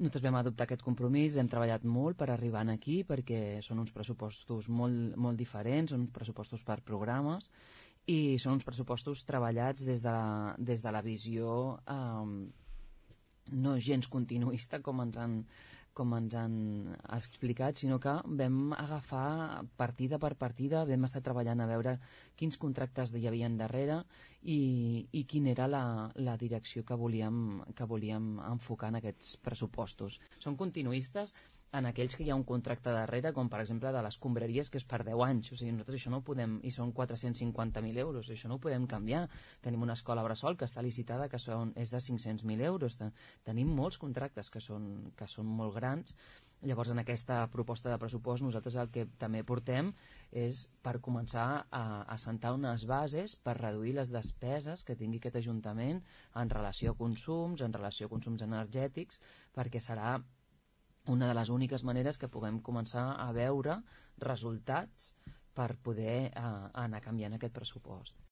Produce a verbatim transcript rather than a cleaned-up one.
Nosaltres vam adoptar aquest compromís, hem treballat molt per arribar aquí perquè són uns pressupostos molt, molt diferents, són uns pressupostos per programes i són uns pressupostos treballats des de la, des de la visió eh, no gens continuista com ens han com ens han explicat, sinó que vam agafar partida per partida, vam estar treballant a veure quins contractes hi havia darrere i, i quina era la, la direcció que volíem, que volíem enfocar en aquests pressupostos. Són continuistes en aquells que hi ha un contracte darrere, com per exemple de les escombraries, que és per deu anys. O sigui, nosaltres això no ho podem, i són quatre-cents cinquanta mil euros, això no ho podem canviar. Tenim una escola bressol que està licitada, que són, és de cinc-cents mil euros. Tenim molts contractes que són, que són molt grans. Llavors, en aquesta proposta de pressupost, nosaltres el que també portem és per començar a assentar unes bases per reduir les despeses que tingui aquest Ajuntament en relació a consums, en relació a consums energètics, perquè serà una de les úniques maneres que puguem començar a veure resultats per poder eh, anar canviant aquest pressupost.